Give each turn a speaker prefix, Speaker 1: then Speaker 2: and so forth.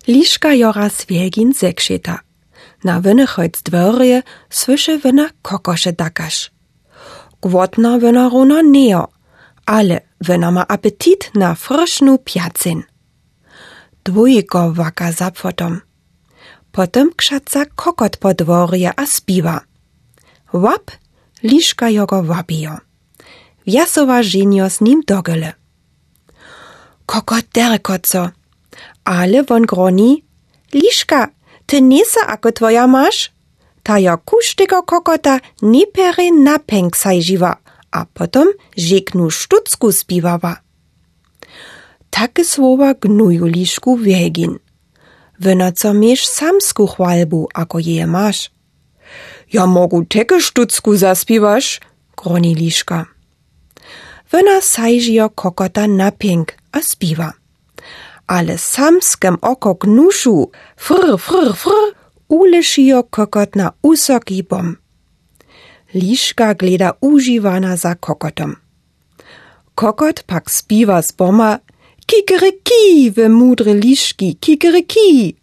Speaker 1: Liška jora Swielgin zekšeta. Na wynychojc dworje słyszy wyna kokosze dakasz. Głodna wyna runo neo, ale wyna ma apetit na frysznu piacyn. Dwójko waka za płotom. Potem krzaca kokot po dworje a spiwa. Łap, liszka jogo wabijo. Wjasowa żenio z nim dogele. Kokot derkoco, ale won groni, liszka, ty nisa ako twoja masz? Ta jo kuštego kokota nipere na pęk sajživa, a potom žeknu štucku spiwała. Takie słowa gnuju liszku Wielgin. Wyna co miesz samsku chwalbu, ako je masz. Ja mogu teke štucku zaspiwasz, groni liszka. Wyna sajžijo kokota na pęk, a spiwa. Ale samskem oko gnuszu, frr, frr, frr, ulešijo kokot na usoki bom. Liszka gleda užiwana za kokotom. Kokot pak spiwa z boma, kikeriki, we mudre liszki, kikeriki.